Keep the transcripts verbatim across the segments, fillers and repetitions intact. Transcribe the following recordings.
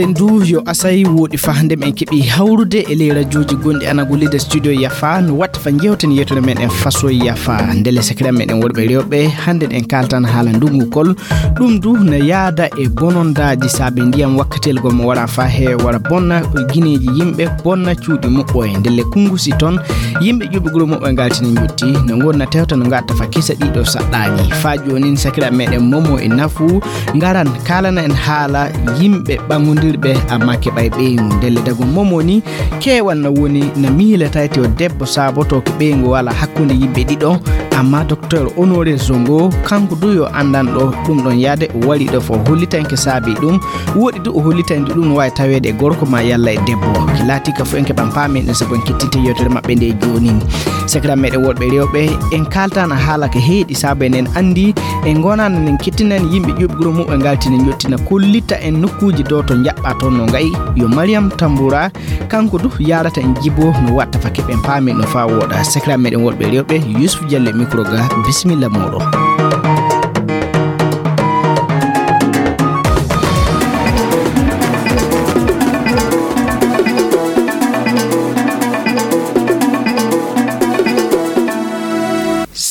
En du yo asay woɗi fa hande men keɓi hawrude e ley rajooji gonɗi Anagu Leader Studio Yafa, no watta fa jewten yewtere meɗen faso Yafa. Ndele sakira meɗen worɓe rewɓe, hande en kaltan haala ndungu kol. Ɗum du no yaada e bonondaaji saabe ndiyam wakkatel gol mo wara fa he wara bonna gineeji yimɓe, bonna cuuɗi muɓɓoye. Ndele kungusi ton, yimɓe ƴuɓi guro muɓɓoye ngaltini njotti, no ngonna tewta no ngatta fa kisa ɗiɗo saɗɗaaji. Fa joonin sakira meɗen momo e nafu, ngaran kaalana en haala yimɓe ɓaŋodirɓe amma keɓay ɓeyngu. Ndelle dago momo ni, keewal na woni na miila tayti o debbo saabotooke ɓeyngu wala hakkunde yimɓe ɗiɗo, amma Docteur Honoré Zongo, kanko du yo anndanɗo ɗum ɗon yaade, o wari ɗo fo hollitanke saabi ɗum, woɗi du o hollitande ɗum no waawi taweede e gorko ma yalla e debbo. Ki laati ka fo en keɓan paamen ɗum sabu en kettinte yewtere maɓɓe nde joonin. Sakira meɗen worɓe rewɓe, en kaltana haala ka heeɗi saabu enen anndi en ngonana nen kettinani yimɓe ƴuɓi guro muɓɓe ngaltina jottina kollita en nokkuuji dowto jaɓɓa toon no ngayi yo Mariam Tamboura, kanko du yaarata en jibo no watta fa keɓen paamen no fa wooɗa. Sakira meɗen worɓe rewɓe, Yusuf Diallo e micro ga, bisimilla mooɗon.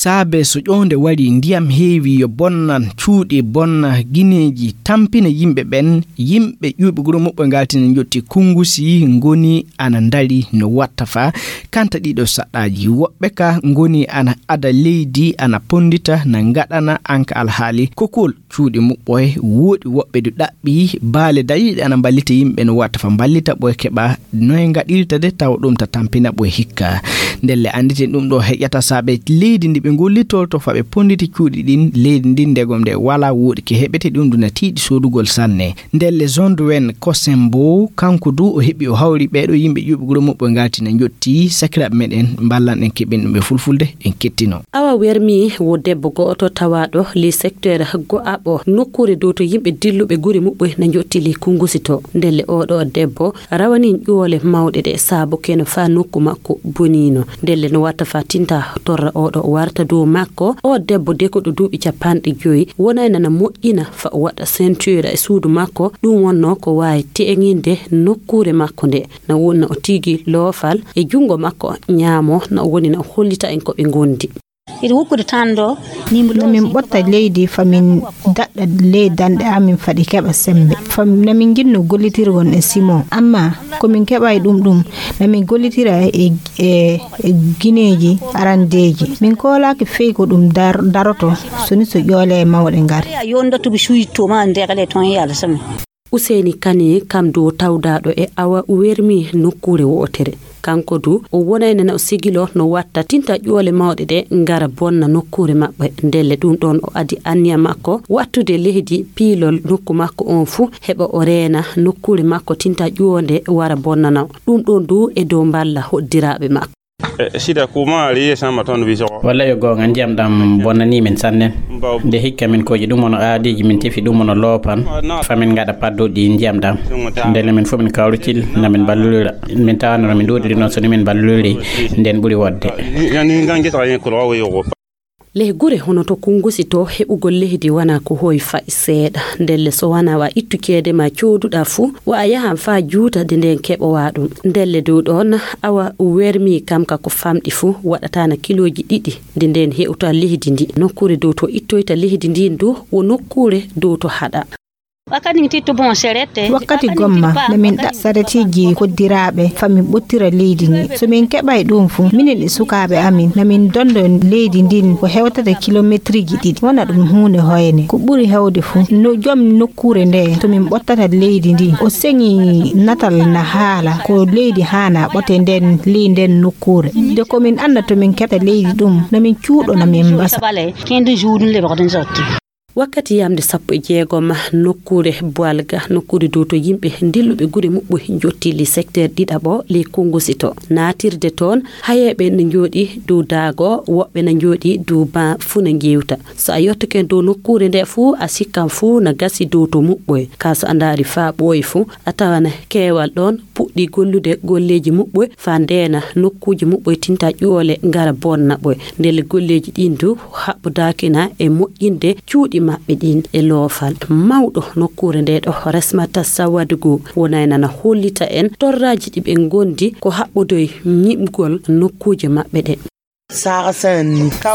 Saabe so ƴownde warii, ndiyam heewi, yo bonnan cuuɗi, bonna gineeji, tampina yimɓe ɓen. Yimɓe ƴuuɓi guro muɓɓe ngaltina njotti kunngusi, ngoni ana ndari no watta fa kanta ɗiɗo saɗɗaaji. Woɓɓe ka ngoni ana ada leydi, ana ponndita, na ngaɗana anka alhaali kokol cuuɗi muɓɓoye. Woodi woɓɓe du ɗaɓɓi baale dariiɗe ana mballita yimɓe no watta fa mballita ɓoye keɓa noye ngaɗirta de tawa ɗum ta tampina ɓoye hikka. Ndelle annditen ɗum ɗo heƴata saabe leydi ndi ɓe ngollitorto fa ɓe ponnditi cuuɗi ɗin, leydi ndin ndegom nde wala woodi ke heɓete ɗum du na tiiɗi soodugol sanne. Ndelle John Duwen Kosembo, kanko du o heɓi o hawri ɓeeɗo yimɓe ƴuuɓi guro muɓɓe ngaltina njotti sakiraaɓe meɗen mballan en keɓin ɗum e fulfulde en kettino. Awa wermi wo debbo go'oto tawaaɗo ley secteur go'aɓo nokkuure dow to yimɓe dilluɓe gure muɓɓe na njotti ley kungusi to. Ndelle oɗo debbo rawanin ƴoole mawɗe ɗe saabu keno faa nokku makko boniino. Ndelle no watta faa tinta torra oɗo warta dow makko. O debbo dekoɗo duuɓi capanɗe joyi wonay nana moƴƴina fa o waɗa ceinture e suudu makko. Ɗum wonno ko waawi te'eŋinde nokkuure makko nde. Na wonna o tigi loofal e junngo makko ñaamo, na o woni na o hollita en ko ɓe ngondi. Iri wukkude tan ɗo, nimbo ɗo. Namin ɓotta leydi famin daɗɗa ley danɗe amin faɗi keɓa sembe. Fam namin ginno gollitirgon e Simon. Amma ko min keɓa e ɗum ɗum, namin gollitira e, e, e gineeji arandeeji. Min koolaaki fey ko ɗum dar-, daroto, soni so ƴoole e mawɗe ngari. Yo ndottuɓe suuji to ma ndekale ton e Alla sami. Useyni Kane, kam du o tawdaaɗo e awa wermi nokkuure wootere. Kanko du, o wonayno na o sigilo no watta tinta ƴoole mawɗe ɗe ngara bonna nokkuure maɓɓe. Ndelle ɗum ɗon o adi anniya makko wattude leydi piilol nokku makko on fuu, heɓa o reena nokkuure makko tinta ƴoonde wara bonnana o. Ɗum ɗon du e dow mballa hoddiraaɓe makko. E, sida kuma ri ye sama ton bi so. Walla yo goonga, ndiyam ɗam bonnanii min sanne. Nde hikka min koji ɗum wono aadiiji, min tefi ɗum wono loopan, fa min ngaɗa padduɗi ndiyam ɗam. Ndelle min fof min kawritil, na min mballulira. Min tawanno min ɗuuɗiri noon, so ni min mballuliri, nden ɓuri wodde. Yani ngan gesa yen kulawa yo. Ley gure hono to Kunngusi to, heɓugol leydi wanaa ko hoy fa'i seeɗa. Ndelle so wanaa wa ittu ceede ma cooduɗaa fuu, wa a yahan faa juuta de ndeen keɓowaa ɗum. Ndelle dow ɗoon, awa wermii kam ka ko famɗi fuu, waɗataana kilooji ɗiɗi, de ndeen hewta leydi ndi. Nokkuure dow to ittoyta leydi ndiin du, wo nokkuure dow to haɗa. Wakkati ngi tittu bon serette. Wakkati gomma, na min ɗaɓɓa sareteeji koddiraaɓe, fa min ɓottira leydi ndi. So min keɓay ɗum fu, minen e sukaaɓe amin, na min dondo leydi ndin ko hewtata kilometriji ɗiɗi. Wona ɗum huunde hoyne. Ko ɓuri hewde fu, no joom nokkuure nde, to min ɓottata leydi ndi, o seŋi natal na haala, ko leydi haana ɓote nden, ley nden nokkuure. De ko min annda to min keɓta leydi ɗum, na min cuuɗo, na min mbasa. Kende juuɗum le ɓe ko ɗum sotti. Wakkati yamnde sappo e jeegom, nokkuure Boalga, nokkuure dow to yimɓe dilluɓe gure muɓɓe njotti ley secteur ɗiɗaɓo ley Kunngusi to. Naatirde toon, hayeeɓe ne njooɗii dow daago, woɓɓe ne njooɗii dow ban fuu ne njeewta. So a yottike dow nokkuure nde fuu, a sikkan fuu na gasi dow to muɓɓoy. Kaa so a ndaari faa ɓooyi fuu, a tawan keewal ɗoon puɗɗii gollude golleeji muɓɓoy faa ndeena nokkuuji muɓɓoy tinta ƴuwole ngara bonna ɓoy. Ndelle golleeji ɗiin du haɓɓodaakina e moƴƴinde cuuɗi maɓɓe ɗin e loofal mawɗo nokkuure nde ɗo resmata sawade goo wonay nana hollita en torraaji ɗi ɓe ngondi ko haɓɓodoy ñiɓgol nokkuuje maɓɓe ɗe.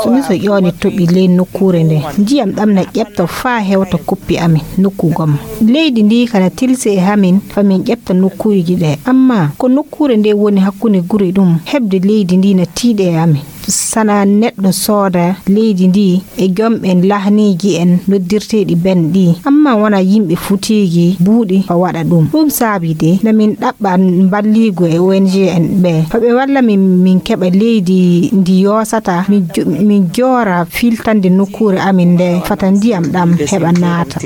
Sumisa ƴooni toɓi ley nokkuure nde ndiyam ɗam na ƴeɓta faa hewta koppi amin nokku gom. Leydi ndi kana tilsi e hamin fa min ƴeɓta nokkuuji ɗe, amma ko nokkuure nde woni hakkunde guri ɗum heɓde leydi ndi na tiiɗe e amin. Sana neɗɗo sooda leydi ndi e jom ɓen lahniiji en noddirteeɗi ben ɗi, amma wona yimɓe futeeji buuɗi fa waɗa ɗum. Ɗum saabi de na min ɗaɓɓa mballiigu e O N G en ɓe fa ɓe walla min min keɓa leydi ndi yoosata min jo- min joora filtande nokkuure amin nde fata ndiyam ɗam heɓa naata.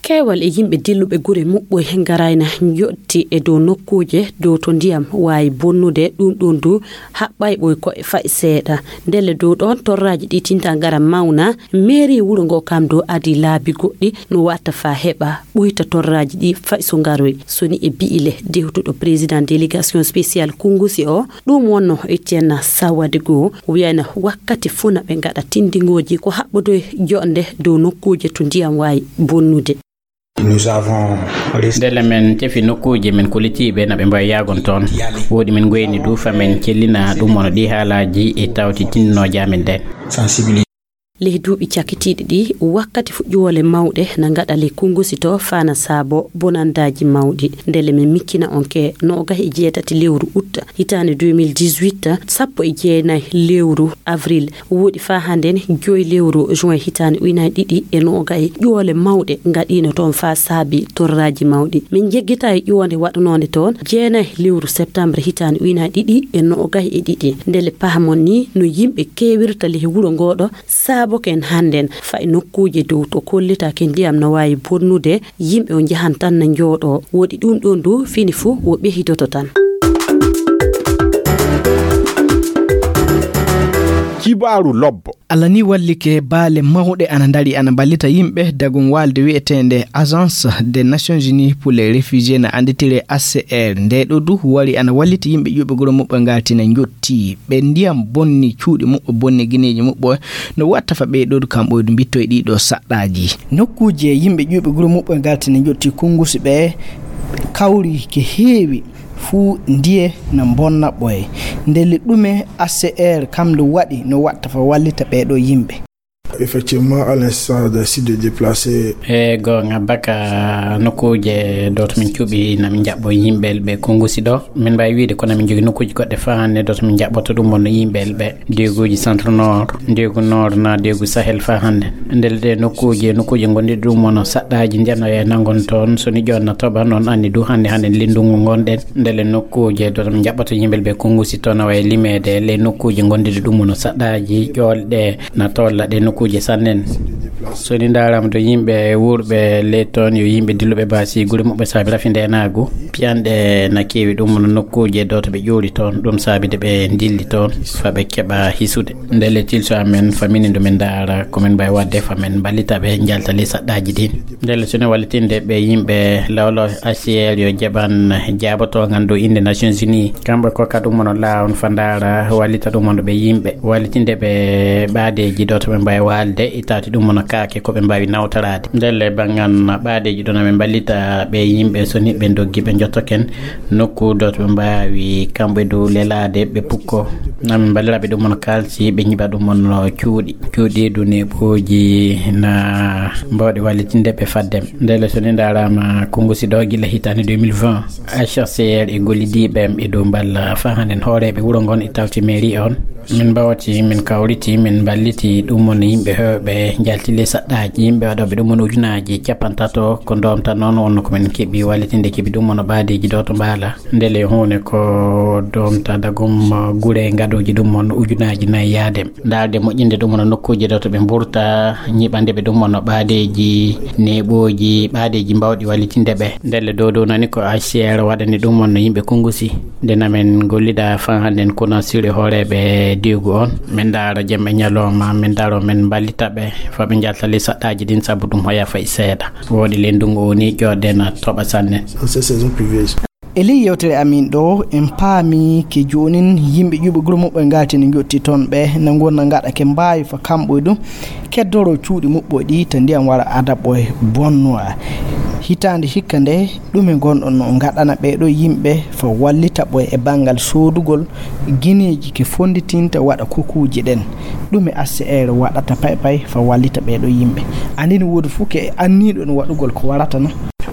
Keewal e yimɓe dilluɓe gure muɓɓoy ngarayna njotti e dow nokkuuje dow to ndiyam waawi bonnude ɗum ɗon du haɓɓay ɓoy ko'e fa'i seeɗa. Ndelle dow ɗon torraaji ɗi tinta ngara mawna meeri wuro ngo kam dow adi laabi goɗɗi no watta fa heɓa ɓuyta torraaji ɗi fa'i so ngaroy soni e bi'ile dewtuɗo président délégation spéciale kungusi o. Ɗum wonno etienne sawade goo wiyayna wakkati funa ɓe ngaɗa tindingooji ko haɓɓodoy joɗnde dow nokkuuje to ndiyam waawi bonnude. Ndelle men tefi nokkuuje men kollitiiɓe na ɓe mbawi yaagon toon. Woodi men ngoyni du fa men cellina ɗum wano ɗi haalaaji e tawti tindinooje amen ɗen. Ley duuɓi cakitiiɗi ɗi wakkati fuɗɗiwole mawɗe na ngaɗa ley konngusi to faa na saabo bonandaaji mawɗi. Ndelle men miccina on ke noogahi e jeetati lewru utta hitaande deux mille dix-huit, sappo e jeenayi lewru avril woɗi faa hannden joyi lewru juin hitaande ujunaaji ɗiɗi e noogahi ƴoole mawɗe ngaɗiino toon faa saabi torraaji mawɗi. Min njeggitaa e ƴoonde waɗanoonde toon jeenayi lewru septembre hitaande ujunaaji ɗiɗi e noogahi e ɗiɗi. Ndelle pahamon ni no yimɓe keewirta ley wuro ngooɗo saaboken hannden faa e nokkuuje dow to kollitaake ndiyam no waawi bonnude. Yimɓe o njahan tan na njooɗoo woɗi ɗum ɗoon du fini fuu wo ɓehidoto tan. Kibaaru lobbo. Alla ni wallike baale mawɗe ana ndari ana mballita yimɓe dagum waalde wi'eteende Agence des Nations Unies pour les Réfugiés na annditire A C R. Nde ɗo du wari ana wallita yimɓe ƴuɓe guro muɓɓe ngaltina njotti ɓe ndiyam bonni cuuɗi muɓɓe bonni gineeji muɓɓe no watta fa ɓe ɗo du kam ɓoydu mbittoy ɗi ɗo saɗɗaaji. Nokkuuje yimɓe ƴuɓe guro muɓɓe ngaltina njotti kunngusi ɓe kawri ke heewi fuu ndiye na mbonna ɓoye. Ndelle ɗume A C R kam ndu waɗi no watta fa wallita ɓee ɗoo yimɓe? Effectivement, à l'instar des sites de déplacés. E goonga baka nokkuuje dow to min cuɓi na min njaɓɓo yimɓe ɓe kunngusi ɗo. Min mbaawi wiide ko na min njogi nokkuuje goɗɗe faa hannde dow to min njaɓɓoto ɗum wonno yimɓe ɓe. Deeguuji centre nord, deegu nord na deegu Sahel faa hannde. Ndelle ɗe nokkuuje, nokkuuje ngonɗe ɗum wonno saɗɗaaji ndiyam no e nangon toon. So ni joon na toɓa noon anni du hannde hannde lindungu ngonɗen. Ndelle nokkuuje dow to min njaɓɓoto yimɓe ɓe kunngusi toon awa e limeede le nokkuuje ngonɗe ɗum wonno saɗɗaaji ƴoolɗe na tolla ɗe nokkuuje sannen. So ni ndaarama to yimɓe wuurɓe ley toon yo yimɓe dilluɓe baasi gure muɓɓe saabi rafi ndeenaagu. Piyanɗe na keewi ɗum no nokkuuje dow to ɓe ƴuuri toon ɗum saabi de ɓe ndilli toon fa ɓe keɓa hisude. Ndelle tilso amen famini ndu min ndaara ko min mbawi waɗde fa min mballita ɓe njalta ley saɗɗaaji ɗin. Ndelle so ni wallitinde ɓe yimɓe lawlaw A C R yo jaɓan jaabotoongal dow innde Nations Unies. Kamɓe kokka ɗum wonno laawon fa ndaara wallita ɗum wonno ɓe yimɓe wallitinde ɓe ɓaadeeji ɗo to ɓe mbawi waalde e tawti ɗum wonno kaake ko ɓe mbawi nawtoraade. Ndelle banngal ɓaadeeji ɗo na ɓe mballita ɓe yimɓe so ni ɓe doggi ɓe njottoken nokku ɗo to ɓe mbawi kamɓe dow lelaade ɓe pukko. Na ɓe mballira ɓe ɗum wonno kaalsi ɓe njiɓa ɗum wonno cuuɗi. Cuuɗi du neeɓooji na mbawɗi wallitinde ɓe faddem. Ndelle so ni ndaarama kunngusi ɗo gila hitaande deux mille vingt. H C R e gollidiiɓe am e dow mballa faa hannde hooreeɓe wuro ngon e tawti mairie on. Min mbawti, min kawriti, min mballiti ɗum wonno yimɓe heewɓe njalti ley saɗɗaaji. Yimɓe waɗooɓe ɗum wonno ujunaaji capantato ko ndoomta noon wonno ko min keɓi wallitinde keɓi ɗum wonno ɓaadeeji ɗo to mbaala. Ndelle huunde ko ndoomta dagum gure ngaɗooji ɗum wonno ujunaaji nayi yaade. Ndaarde moƴƴinde ɗum wonno nokkuuje ɗo to ɓe mburta, ñiɓande ɓe ɗum wonno ɓaadeeji, neeɓooji, ɓaadeeji mbawɗi wallitinde ɓe. Ndelle dow dow nani ko H C R waɗani ɗum wonno yimɓe kunngusi. Nde na min ngollida faa hannden kuna siri hooreeɓe deegu on. Min ndaara jemma e ñalooma, min ndaaro min mballita ɓe faa ɓe njalta ley saɗɗaaji ɗin sabu ɗum hoya fay seeɗa. Wooɗi ley ndungu o ni ƴoodde na toɓa sanne. E ley yewtere amin ɗo, en paami ke joonin yimɓe ƴuɓe gure muɓɓoye ngalti ne njotti toon ɓe, na ngonna ngaɗa ke mbaawi fa kamɓoye ɗum, keddoro cuuɗi muɓɓoye ɗi ta ndiyam wara adaɓɓoye bonnoya. Hitaande hikka nde, ɗume ngonɗon no ngaɗana ɓee ɗo yimɓe fa wallita ɓoye e banngal soodugol gineeji ke fonnditinta waɗa kokuuji ɗen? Ɗume H C R waɗata pay pay fa wallita ɓee ɗo yimɓe? Andi no woodi fuu ke anniiɗo no waɗugol ko warata na?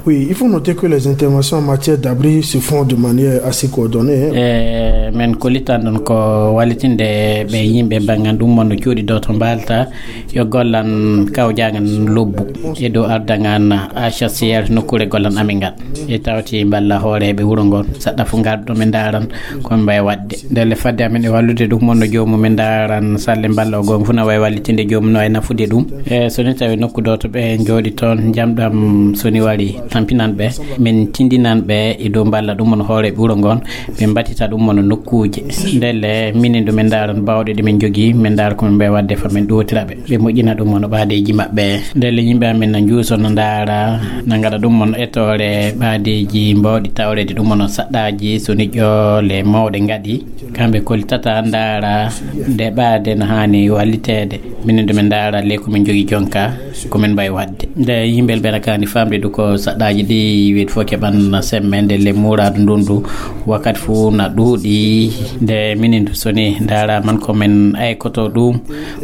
Oui, il faut noter que les interventions en matière d'abri se font de manière assez coordonnée, hein. E men kollitan ɗon ko wallitinde ɓe yimɓe banngal ɗum mon no cuuɗi ɗo to mbalta yo gollan kawjaangan lobbu e dow ardangan H C R nokkuure gollan amin ngal. E tawti mballa hooreeɓe wuro ngon saɗɗa fu ngarɗo men ndaran ko men mbawi waɗde. Ndelle fadde amin e wallude ɗum mon no joomum men ndaran salle mballa o gonga fu na wawi wallitinde joomum no e nafude ɗum. E so ni tawi nokku ɗo to ɓe jooɗi toon jamɗam so ni wari tampinan ɓe, min tindinan ɓe e dow mballa ɗum mon hooreeɓe wuro ngon, ɓe mbatita ɗum mon nokkuuje. Ndelle minen ɗo men ndaran bawɗe ɗe men jogii, men ndara ko men mbawi waɗde fa men ɗowtira ɓe, ɓe moƴƴina ɗum mon ɓaadeeji maɓɓe. Ndelle yimɓe amen na njuuso no ndaara, na ngaɗa ɗum mon etoore ɓaadeeji mbawɗi tawreede ɗum mon saɗɗaaji so ni ƴoole mawɗe ngaɗi. Kamɓe kollitata ndaara nde ɓaade no haani walliteede. Minen ɗo men ndaara le ko min jogii jonka, ko min mbawi waɗde. Nde yimɓe ɓe na kaani famde ɗum ko saɗɗaaji ɗi wiide fof keɓan semmbe nde le muuraadu ndun du wakkati fof na ɗuuɗi. Nde minin so ni ndaara man ko min aykoto ɗum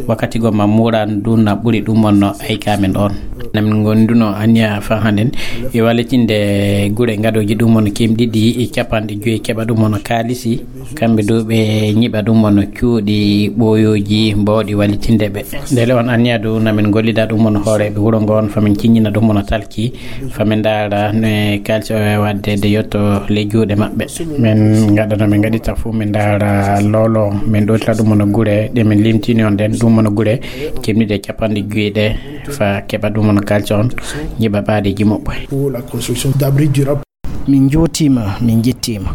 wakkati gomma muuraadu ndun na ɓuri ɗum on no ayka min on. Na min ngonduno anniya fa handen e wallitinde gure gadooji ɗum on kemɗiɗi e capanɗe joyi keɓa ɗum on kaalisi. Kamɓe dow ɓe ñiɓa ɗum on cuuɗi ɓooyooji mbawɗi wallitinde ɓe. Ndele on anniya dow na min gollida ɗum on hooreeɓe wuro ngon fa min ciññina ɗum on talki, fa min ndaara ne kaalisi o e waɗde de yotto ley juuɗe maɓɓe. Min ngaɗa no min ngaɗita fof, min ndaara lolo, min ɗowtira ɗum on gure ɗe min limtini on ɗen, ɗum on gure kemɗiɗe capanɗe joyi ɗe, fa keɓa ɗum on kaalisi on, ñiɓa ɓaadeeji moɓɓe. Pour la construction d'abris durables. Min njuutiima, min njettiima.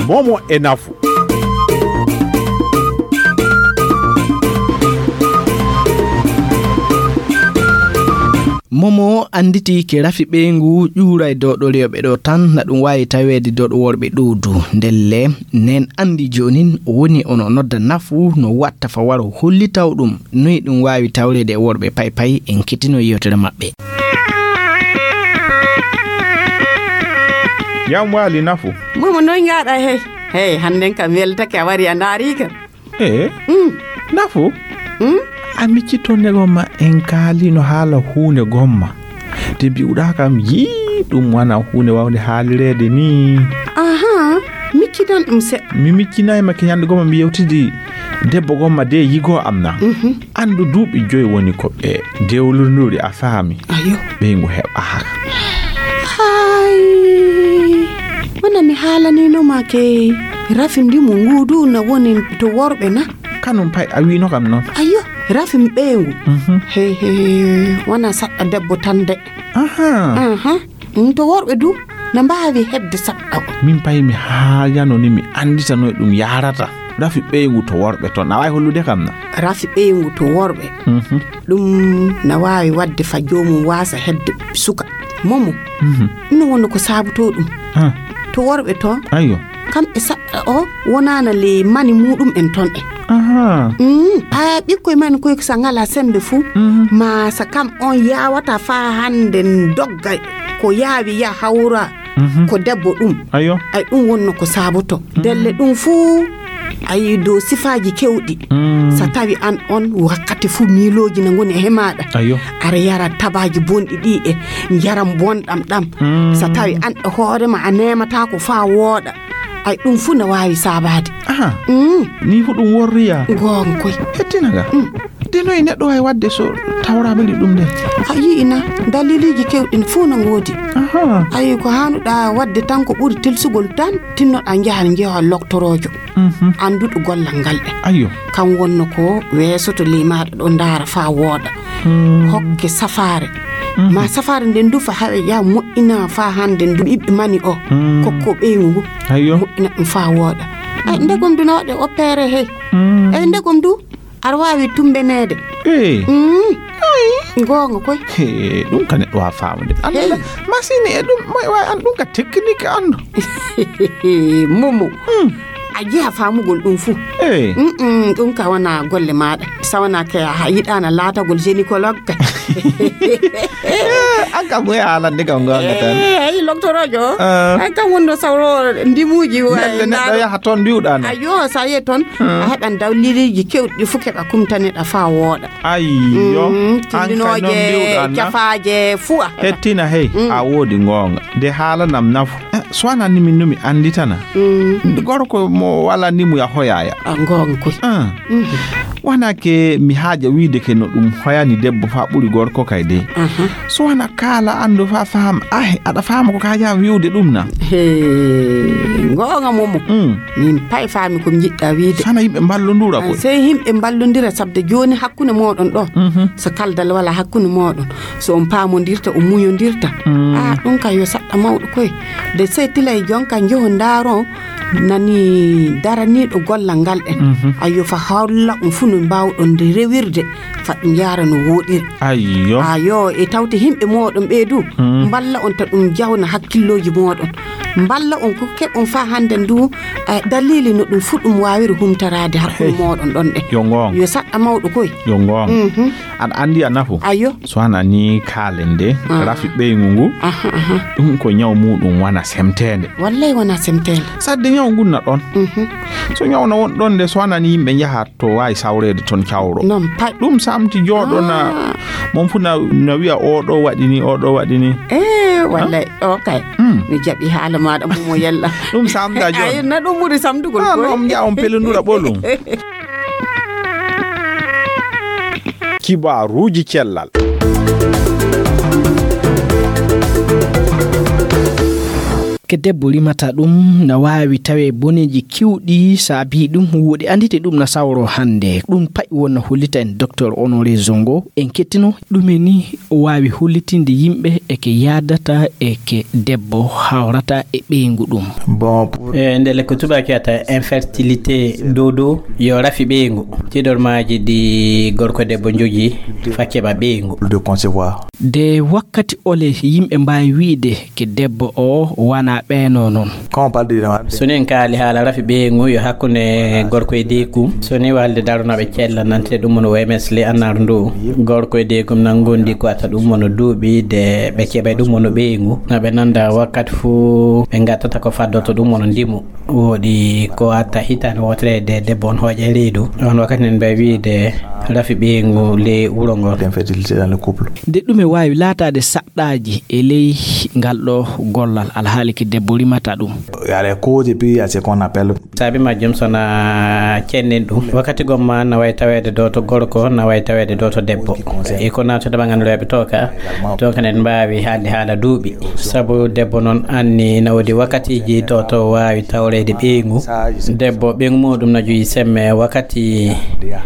Momo e nafu. Momo annditi ke rafi ɓeyngu ƴuuray doɗo rewɓe ɗo tan, na ɗum waawi taweede doɗo worɓe ɗowdu. Ndelle, nen anndi joonin woni ono nodda nafu no watta fa waro hollitaw ɗum, noy ɗum waawi tawreede e worɓe pay pay en kettino yewtere maɓɓe. Yam waali nafu. Momo noy ngaɗa hey? Hey, hannden kam weltake a wari a ndaari kam. E? Mm. Nafu? Mm? A micciton ne gomma en kaalino haala huunde gomma. Te mbi'uɗaa kam yii ɗum wana huunde wawnde haalireede ni. Aha, miccitan ɗum seɗɗa. Mi miccinay ma ke ñande gomma mi yewtidi debbo gomma de yigo am na. Mhm. Anndu duuɓi joyi woni ko ɓe dewlunduɗi a faami. Ayo. Ɓeyngu heɓaaka. Hay. Wona mi haalanino ma ke rafi ndimu ngu du na woni to worɓe na? Kanum pay a wino kam noon. Ayo, rafi ɓeyngu. Mhm. Hey, hey, wona saɗɗa debbo tan de. Aha. Aha. Mm, to worɓe du na mbaawi heɓde saɗɗa o. Min pay mi haayano ni mi annditanoy ɗum yaarata. Rafi ɓeyngu to worɓe toon. A waawi hollude kam na? Rafi ɓeyngu to worɓe. Mhm. Ɗum na waawi waɗde fa joomum waasa heɓde suka. Momo, mhm, ɗum woni ko saabotoo ɗum. Ha. To worɓe toon, ayo, kamɓe saɗɗa o wonaana le mani muɗum en toon en. Aha. Mm, a ɓikkoy man koy ko sa ngala sembe fuu, mhm, ma sa kam on yaawata faa hande dogga ko yaawi ya hawra. Mhm. Ko debbo ɗum. Ayo. Ay, ɗum wonno ko saaboto. Mm. Ndelle ɗum fuu, ay, dow sifaaji kewɗi. Mm. Sa tawi an on wakkati fuu miilooji na ngoni e maaɗa. Ayo. Aɗa yara tabaaji bonɗi ɗi e njaram bonɗam ɗam. Mm. Sa tawi an e hoore ma a neemataako faa wooɗa. Ay, ɗum fuu na waawi saabaade. Aha. Mm. Ni fuu ɗum worriya. Goonga koy. Hettina ga. Mm. De noy neɗɗo wawi waɗde so tawra meli ɗum nde? A yi'ina, daliliji kewɗi fuu no ngoodi. Aha. Ayi, ko haanuɗa waɗde tan ko ɓuri tilsugol tan, tinnoɗa njaha njeewa loktoroojo. Mhm. Annduɗo gollal ngal ɗe. Ayo. Kan wonno ko weesoto ley maaɗa ɗo ndaara faa wooɗa. Mm. Hokke safaare. Mhm. Ma safaare nden du fa hawe ya moƴƴina faa hande ndu ɓiɓɓe mani o. Mm. Kokko ɓeyngu ngu. Ayo. Moƴƴina ɗum faa wooɗa. Ay, ndegom du na waɗe opéré hey. Mm. Ay, ndegom du. Aɗa waawi tumbeneede. Eey. Mm. Goonga koy. He, ɗum ka neɗɗo waa faamude. Anndal masini e ɗum, may waay an ɗum ka tekkinike anndo. Momo. Hmm. A jiha faamugol ɗum fuu. Eey. Mm-mm, ɗum ka wona golle maaɗa. Sawana ke a yiɗaana laatagol gynécologue ka. Eh, an kam moye haalande kam goonga tan. Eh, ayi, loktoroojo. Ah. An kam wonno sawro ndimuuji waay. Neɗɗo yaha toon mbiwɗa na. Ayo, sa yehi toon, a heɓan dawliliiji kewɗi fof keɓa kumtaneɗa faa wooɗa. Ayyo, mm, an kay noon mbiwɗa na. Cafaaje fuu a heɓa. Hettina hey, a woodi goonga. De haalanam nafu. Eh, so wanaa ni min no mi annditana. Mm. Gorko mo wala ni mu ya hoyaya. A goonga koy. Ah. Mhm. Wanaa ke mi haaja wiide ke no ɗum hoyani debbo faa ɓuri gorko kay de. Aha. So wanaa kaala anndu faa faam, ah, aɗa faama ko kaa jaa wiwde ɗum na. He, goonga momo. Mm. Min pay faami ko mi jiɗɗa wiide. Sana yimɓe mballondura koy. Sey yimɓe mballondira sabde jooni hakkunde mooɗon ɗo. Mhm. So kaldal wala hakkunde mooɗon. So on paamondirta, on muñondirta. Mm. Ah, ɗum ka yo saɗɗa mawɗo koy. De sey tilay jonka njoho ndaaron nani daraniiɗo gollal ngal ɗen. Mhm. Ayo fa hawla on fuu no mbaawɗon nde rewirde. Fa ɗum yaara no wooɗiri. Ayyo. Ayo, e tawte yimɓe mooɗon ɓee du, mm, mballa on ta ɗum jawna hakkillooji mooɗon. Mballa on ko keɓon faa hannde ndu, eh, dalili no ɗum fuu ɗum waawiri humtaraade hakkunde mooɗon ɗon ɗe. Yo ngoonga. Yo saɗɗa mawɗo koy. Yo ngoonga. Mhm. Aɗa anndi a nafu? Ayo. So wanaa ni kaalen de, ah, rafi ɓeyngu ngu, aha, aha, ɗum ko ñaw muɗum wona semteende. Wallay wona semteende. Sadde ñaw ngun na ɗon. Mhm. So ñaw na won ɗon de, so wanaa ni yimɓe njaha to waawi sawreede toon cawro. Noon pay. Ɗum samti jooɗo na, ah, mon fuu na, na wiya o ɗo waɗi ni, o ɗo waɗi ni. Eh, wallay, o kay. Hmm. Mi jaɓi haala maaɗa, Momo Yalla. Ɗum samta jooni. Ay, na ɗum ɓuri samtugol. Ah, koy. Noon njaha on pelondura ɓolum. Kibaaruuji cellal. Ke debbo rimata ɗum na waawi tawe boneeji kiwɗi saabi ɗum, woɗi anndite ɗum na sawro hannde. Ɗum pay wonna hollita en Docteur Honoré Zongo. En kettino ɗume ni o waawi hollitinde yimɓe e ke yaadata e ke debbo hawrata e ɓeyngu ɗum. Bon, pour... E ndelle ko tubaaki wiyata infertilité dodo, yo rafi ɓeyngu. Tiiɗormaaji ɗi gorko e debbo njogii faa keɓa ɓeyngu. De concevoir. De wakkati ole yimɓe mbaawi wiide ke debbo o wana ɓeeno noon? Quand on parle de... So ni en kaali haala rafi ɓeyngu yo hakkunde gorko e deekum. So ni waalde daronooɓe cella nante ɗum woni O M S le annar ndu. Gorko e deekum nan ngondi ko ata ɗum woni duuɓi de ɓe keɓay ɗum woni ɓeyngu. Na ɓe nanda wakkati fuu ɓe ngattata ko faddoto ɗum woni ndimu. Woodi ko atta hitaande wootere de debbo on hooƴa e reedu. On wakkati nen mbay wiide rafi ɓeyngu ley wuro ngol. Infertilité dans le couple. De ɗume waawi laataade saɗɗaaji e ley ngal ɗo gollal alhaali ke debbo rimata ɗum? Il y a les causes et puis il y a ce qu'on appelle... Saabi majjum so na cennen ɗum. Wakkati gomma na way taweede do to gorko, na way taweede do to debbo. E ko naatude ɓangan rewɓe to ka. To kanen mbaawi haalde haala duuɓi. Sabu debbo noon anni na woodi wakkatiiji to to waawi tawreede ɓeyngu. Debbo ɓeyngu muɗum na joyi semme wakkati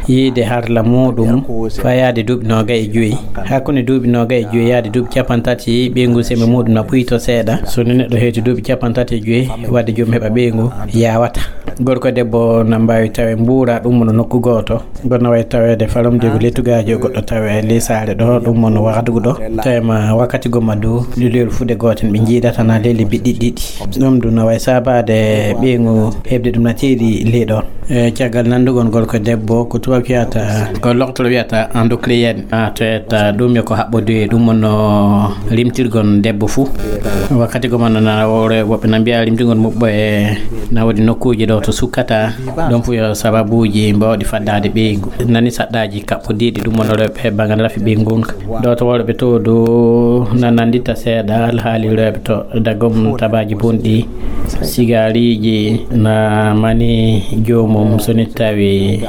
yiide harla muɗum faa yaade duuɓi noogay e joyi. Hakkunde duuɓi noogay e joyi yaade duuɓi capantati ɓeyngu semme muɗum na ɓuyto seeɗa. So ni neɗɗo heeti duuɓi capantati e joyi wadde joom heɓa ɓeyngu yawata. Gorko e debbo na mbaawi tawe mbuura ɗum no nokku gooto. Goɗɗo na wayi taweede falumde ko lettugaaji o goɗɗo tawe ley saare ɗo, ɗum woni wahdugo ɗo. Tawema wakkati gomma du, leelu fuɗe gooten ɓe njiidata na ley lebbi ɗiɗi ɗiɗi. Ɗum du na wayi saabaade ɓeyngu heɓde ɗum na teeri ley ɗon. E caggal nanndugol gorko e debbo, ko tubaab wiyata, ko loktoro wiyata endocrine. A toyata ɗum yo ko haɓɓoduye, ɗum woni no rimtirgol debbo fuu. Wakkati gomma no na wore woɓɓe na mbiya rimtirgol muɓɓo e na woodi nokkuuji ɗo to sukkata. Ɗum fof yo sababuuji mbaawɗi faddaade ɓeyngu. Nani saɗɗaaji kaɓɓodiiɗi ɗum woni rewɓe banngal rafi ɓeyngu ngun. Ɗo to worɓe to dow na nanndita seeɗa alhaali rewɓe to dagom tabaaji bonɗi. Sigaariiji na mani joomum so ni tawi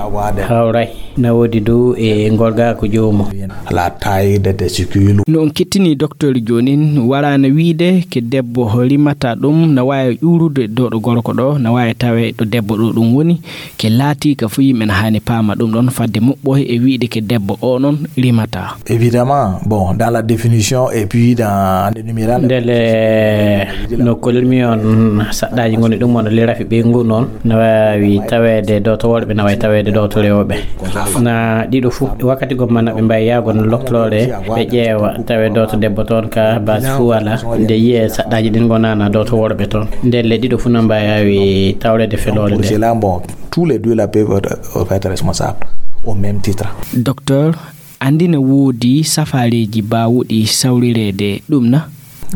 hawray na woodi dow e ngorgaaku joomum. La taille des testicules. No on kettini docteur joonin, waraana wiide ke debbo rimata ɗum na waawi ƴuurude dooɗo gorko ɗo, na waawi tawe to debbo ɗo ɗum woni, ke laati ka fu yimɓe na haani paama ɗum ɗon fadde muɓɓoy e wi'de ke debbo o non rimata. Évidemment, bon, dans la définition et puis dans l'énumération. Ndele no kolmi on saɗɗaaji ngoni ɗum on le rafi ɓe ngu noon na waawi taweede ɗo to worɓe na waawi taweede ɗo to rewɓe. Na ɗiɗo fu wakkati gomma na ɓe mbawi yaago no loktore ɓe ƴeewa tawe ɗo to debbo toon ka base fu wala nde yiye saɗɗaaji ɗin gonana ɗo to worɓe toon. Ndele ɗiɗo fu na mbawi tawreede feloore nde. Tous les deux là peuvent être, euh, être responsables au même titre. Docteur, anndi ne woodi safaareeji baawuɗi sawrireede ɗum na?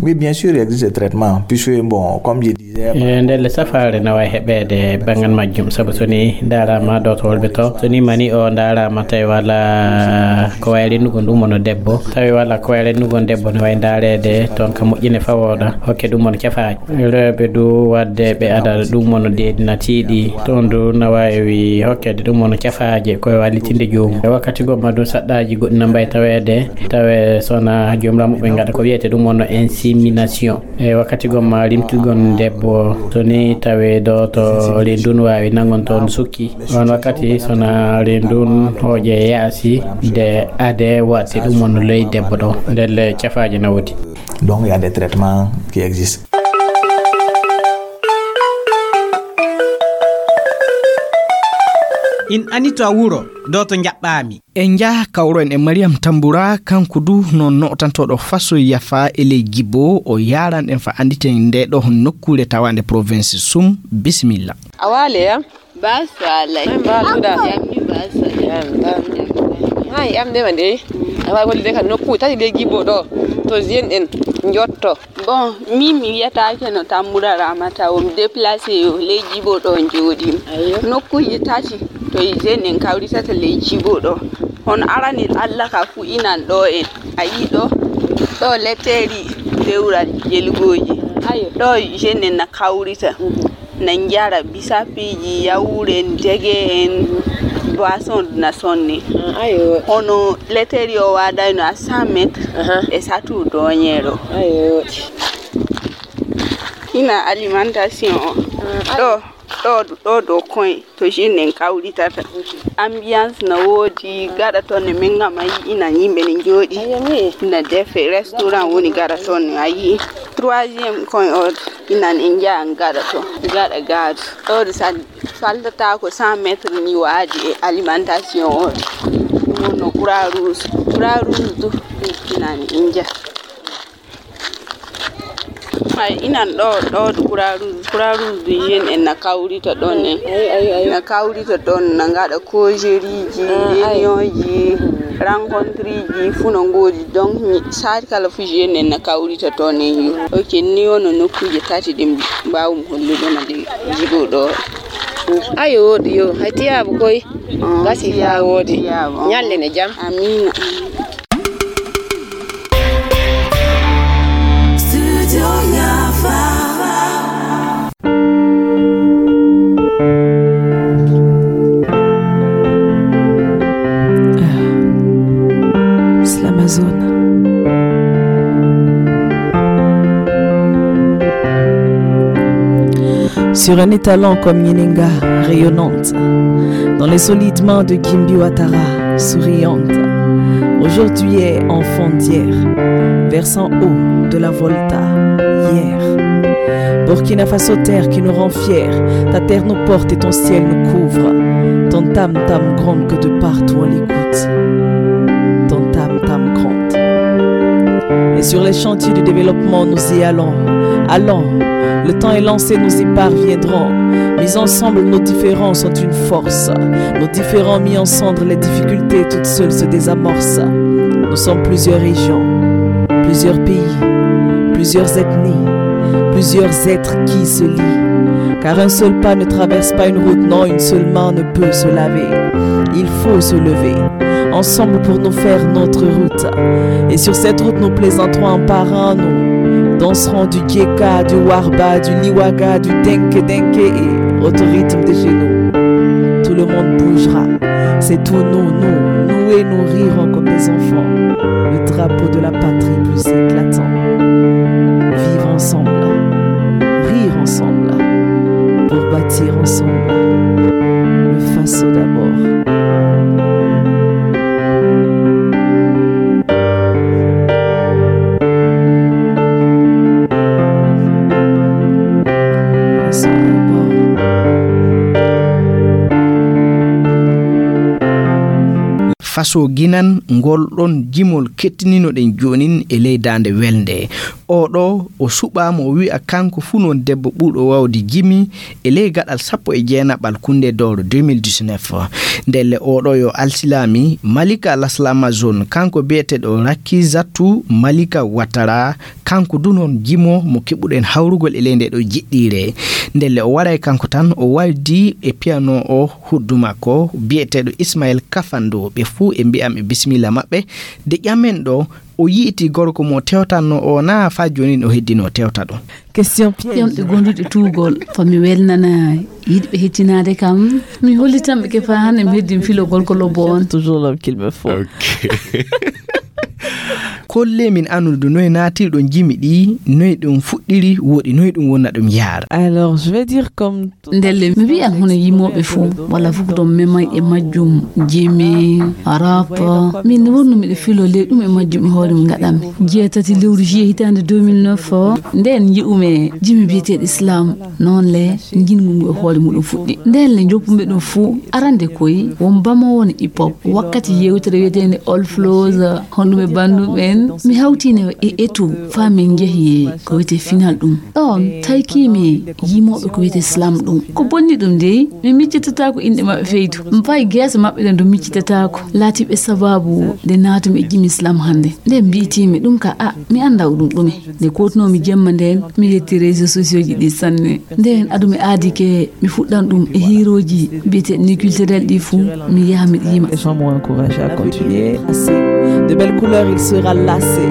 Oui, bien sûr, il existe des traitements, puisque, bon, comme je disais, e ndelle safaare na wawi heɓeede banngal majjum, sabu so ni ndaaraama ɗo to worɓe to, so ni mani o ndaaraama tawi wala ko wawi rennugol ɗum woni debbo, tawi wala ko wawi rennugol debbo ne wawi ndaareede toon ka moƴƴine fawooɗa, hokke ɗum woni cafaaji. Rewɓe du wadde ɓe ada ɗum woni deedi natiiɗi, toon du na wawi hokkeede ɗum woni cafaaje ko e wallitinde joomum. E wakkati gomma du saɗɗaaji goɗɗi na mbawi taweede, tawe sona joomiramuɓe ngaɗa ko wiyete ɗum woni insémination. E wakkati gomma rimtugol debbo, so ni tawe ɗo to reendu wawi nangon toon sukki. On wakkati sona reendu hooƴe yaasi de ade watte ɗum woni ley debbo ɗo. Ndelle cafaaje na woodi. Donc, il y a des traitements qui existent. In anito a wuro, ɗo to njaɓɓaami. En njaha kawroen e Mariam Tambura, kanko du noon nootantooɗo faso yafa e ley Jibo, o yaaran en fa annditen nde ɗo nokkuure tawaande province Sum. Bisimilla. A waale ya? Basu alai. An basu da. Yamni basu. Yan, yan. Hai, am de mande. Awa wol de kan nokku tati de Jibo ɗo. To zen en njotto. Bon, min mi wiyataake no Tambura Ramata, o mi déplacé yo ley Jibo ɗo njooɗi. Ayyo. Nokkuuje tati to e zen en kawritata ley Jibo ɗo. Hono aranel Allah ka fu inan ɗo en. A yii ɗo? Ɗo letteri lewral jelgooji. Ayyo. Ɗo zen en na kawrita. Mhm. Na njara bisapiiji, yawuure en, dege en, boisson na sonne. Ah, ayo. Hono letteri o waadayno à cent mètres. Aha. E satu doñeero. Ayo. Ina alimentation o. Ah, ayo. Ɗo, ɗo, ɗo dow koye to zen en kawritata. Ambiance na woodi, gaɗa toon ne min ngam a yii ina yimɓe ne njooɗi. Ayo, mi. Na defe, restaurant woni gaɗa toon ne a yii. Troisième coin o inan en njaha en gaɗa to gaɗa gaadu. Ɗo de sa faltata ko cent mètres ni waadi e alimentation o. Ɗum wonno Croix Rouge. Croix Rouge du inan en njaha. Hay inan ɗo, ɗo de Croix Rouge. Croix Rouge du yen en na kawrita ɗon en. Ay, ay, ay. Na kawrita ɗon na ngaɗa causerie ji, ah, ay. Réunion ji, rencontre ji, fu no ngoodi. Donc, mi saati kala fu jeune en na kawrita toon en yo. Ok, ni wono nokkuuje tati ɗin mbaawum hollude na de Jibo ɗo. Ayo, woodi yo. Hay tiyaabu koy. Ah, gasi tiyaabu, faa woodi. Tiyaabu. Ñalle ne jam. Amiina. Studio Yafa. Ah, c'est l'Amazone. Sur un étalon comme Nyenenga, rayonnante, dans les solides mains de Gimbi Ouattara, souriante. Aujourd'hui est enfant d'hier, versant eau de la Volta, hier. Burkina Faso, terre qui nous rend fiers, ta terre nous porte et ton ciel nous couvre. Ton tam-tam gronde que de partout on l'écoute. Ton tam-tam gronde. Et sur les chantiers du développement, nous y allons. Allons, le temps est lancé, nous y parviendrons. Mis ensemble, nos différences sont une force. Nos différends mis ensemble, les difficultés toutes seules se désamorcent. Nous sommes plusieurs régions, plusieurs pays, plusieurs ethnies, plusieurs êtres qui se lient. Car un seul pas ne traverse pas une route, non, une seule main ne peut se laver. Il faut se lever ensemble pour nous faire notre route. Et sur cette route, nous plaisanterons en parant, nous danserons du Geka, du Warba, du Liwaga, du Denke Denke et au rythme de chez nous. Tout le monde bougera. C'est tout nous, nous, nous et nous rirons comme des enfants. Le drapeau de la patrie plus éclatant. Vivre ensemble, rire ensemble, pour Bâtir ensemble. Le Faso d'abord. Faso d'abord. Faso ginan ngol ɗon jimol kettininoɗen joonin e ley daande welnde. Oɗo o suɓaama o wi'a kanko fuu noon debbo ɓurɗo waawde jimi e ley gaɗal sappo e jeenaɓal kunde dowro deux mille dix-neuf. Ndelle oɗo yo alsilaami Malika Laslamazon, kanko biyeteeɗo Rakizatu Malika Watara, kanko du noon jimo mo keɓuɗen hawrugol e ley nde ɗo jiɗɗiire. Ndelle o waray kanko tan, o waldi e piano o huddu makko biyeteeɗo Ismael Kafando. Ɓe fuu e mbi'am e bisimilla maɓɓe. De ƴamen ɗo, o yi'iti gorko mo tewtanno o na faa jooni o heddino tewta ɗum. Question piège. Yonɓe gonduɗe tuugol, ko mi welnana yiɗɓe hettinaade kam. Mi hollitan ɓe ke faa hannde mi heddin filogol ko lobbo on. Toujours l'homme qu'il me faut. Ok. Kolle min annude noy naatirɗon jimi ɗi, noy ɗum fuɗɗiri, woɗi noy ɗum wonna ɗum yaara. Alors, je vais dire comme Ndelle mi wiyan hono yimooɓe fof, walla fof ko ɗon memay e majjum, jimi, rap. Min ne wonno miɗo filo ley ɗum e majjum e hoore mum ngaɗanmi. Jeetati lewru juillet hitaande deux mille neuf o, ndeen nji'umi jimi biyeteeɗo Islam, noon le njinngu ngu e hoore muɗum fuɗɗi. Ndeen le njoppumi ɗum fof, arande koy won bamo won hip hop. Wakkati yewtere wiyeteende All Flows, honɗum e banndum en, mi hawtiino e etu faa min njehi ko wiyetee final ɗum. Ɗoon tawkiimi yimooɓe ko wiyetee slam ɗum. Ko bonni ɗum dey, mi miccitataako inɗe maɓɓe feydu. Mi fayi geese maɓɓe ɗen ɗo miccitataako. Laatiiɓe sabaabu nde naatumi e jimi slam hannde. Nden mbiitiimi ɗum ka a, mi anndaa ko ɗum ɗume. Nde kootunoomi jemma ndeen, mi yetti réseaux sociaux ji ɗi sanne. Nden adumi aadi ke mi fuɗɗan ɗum e hiirooji biyeteeɗi ni culturel ɗi fuu, mi yaha mi ɗiima. Les gens m'ont encouragé à continuer. De belles couleurs, il sera lassé.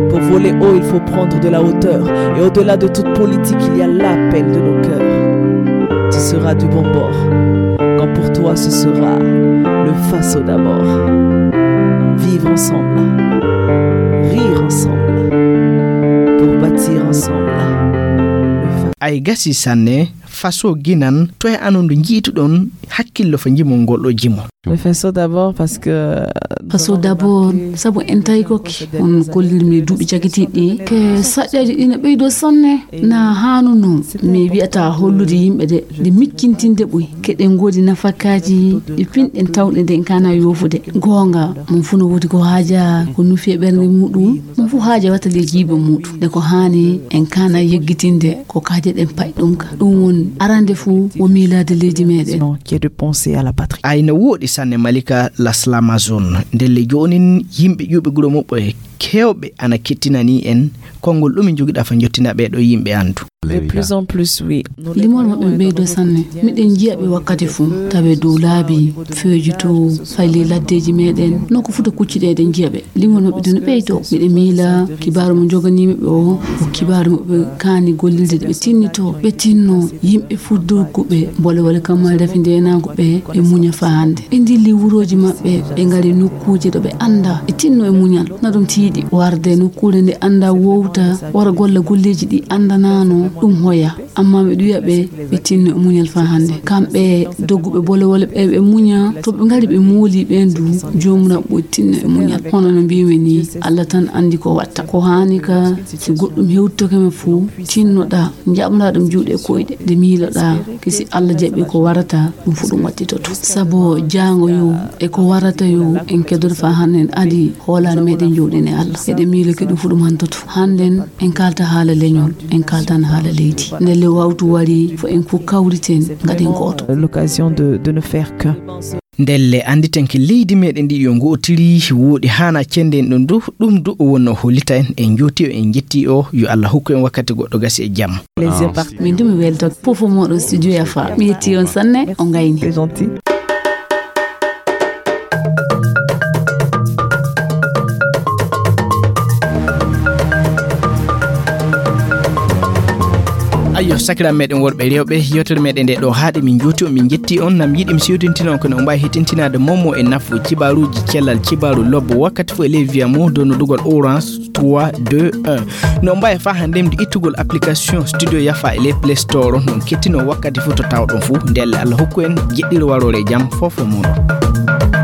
Pour voler haut, il faut prendre de la hauteur. Et au-delà de toute politique, il y a l'appel de nos cœurs. Tu seras du bon bord. Quand pour toi, ce sera le Faso d'abord. Vivre ensemble. Rire ensemble. Pour bâtir ensemble. Le Fa- Ay gasi sanne. Faso ginan, to e anon ndu njiituɗon hakkillo fo jimol ngol ɗo jimol. Le Faso d'abord parce que Faso d'abord, sabu en tawi kokke, on kollirmi duuɓi cagitiiɗi ɗi, ke saƴƴaji ɗi no ɓeydo sanne, na haanuno mi wi'ata hollude yimɓe de, de miccintinde ɓuy, keɗen ngoodi nafakaaji ɗi pinɗen tawɗe nde en kana yoofude. Goonga, mon fuu no woodi ko haaja, ko nufi e ɓernde muɗum, mon fuu haaja watta ley jiiba muɗum. De ko haani en kana yeggitinde ko kaaje ɗen pa'i ɗum ka. Ɗum woni arande fuu wo miilaade leydi meɗen. Qui est de penser à la patrie. Ay no wooɗi sanne Malika Laslamazon. Ndelle joonin yimɓe ƴuuɓe guro muɓɓe heewɓe ana kettinani en konngol ɗum jogiɗa fa jottina ɓee ɗo yimɓe anndu. De plus en plus, oui. Limol maɓɓe ɓeydo sanne. Miɗen njiya ɓe wakkati fuu. Tawe dow laabi, feeji to, fay ley laddeeji meɗen. No ko futa kucciɗe eɗen njiya ɓe. Limol maɓɓe dina ɓeydo. Miɗe miila kibaaru mo joganiimi ɓe o, ko kibaaru mo ɓe kaani gollirde ɓe tinnito. Ɓe tinno yimɓe fuddurguɓe bolewole kammal rafi ndeenaagu ɓe, ɓe muña faa hannde. Ɓe ndilli wurooji maɓɓe, ɓe ngari nokkuuje ɗo ɓe annda. Ɓe tinno e muñal. Na ɗum tiiɗi warde nokkuure nde annda wowta, wara golla golleeji ɗi anndanaano, ɗum hoya. Amma miɗo wiya ɓe, ɓe tinno e muñal faa hannde. Kamɓe dogguɓe bolewole ɓe, ɓe muña. To ɓe ngari ɓe mooli ɓeen du, Joomiraaɗo ɓuri tinno e muñal. Hono no mbiimi ni, Allah tan anndi ko watta. Ko haani ka, si goɗɗum hewtitoke ma fuu, tinnoɗaa, njaɓnoɗaa ɗum juuɗe e koyɗe. Nde miiloɗaa, ke si Allah jaɓi ko warata, ɗum fuu ɗum wattitoto. Sabo jaango yo, e ko warata yo, en keddoto faa hannde en adi hoolaare meɗen jooɗin e Allah. Eɗen miilo ke ɗum fuu ɗum hantoto. Hannden en kaalta haala leñol, en kaaltan haala leydi. Ndelle wawtu wari, fo en fof kawriten, ngaɗen gooto. L'occasion de, de ne faire qu'un. Ndelle annditen ke leydi meɗen ndi yo ngootiri, wooɗi haana cenden ɗum du, ɗum du o wonno hollita en, en jooti o, en jetti o, yo Allah hokku en wakkati goɗɗo gasi e jam. Plaisir par- Min du mi welto fof o moɗo studio Yafa. Mi yetti on sanne, o ngayni. C'est gentil. Ayyo, sakiraaɓe meɗen worɓe e rewɓe, yewtere meɗen nde ɗo haaɗi, min njuuti on, min njetti on, nam yiɗi mi sewtintina on kono on mbaawi hettintinaade momo e nafu cibaaruuji cellal cibaaru lobbo wakkati fof e ley wiya mo donnodugol Orange. trois deux un. No mbaye fa hande mdi ittugol application Studio Yafa e le Play Store, non kettino wakkati fu to tawɗon fu. Ndelle Allah hokku en jeɗɗiro warore jam fofo muɗum.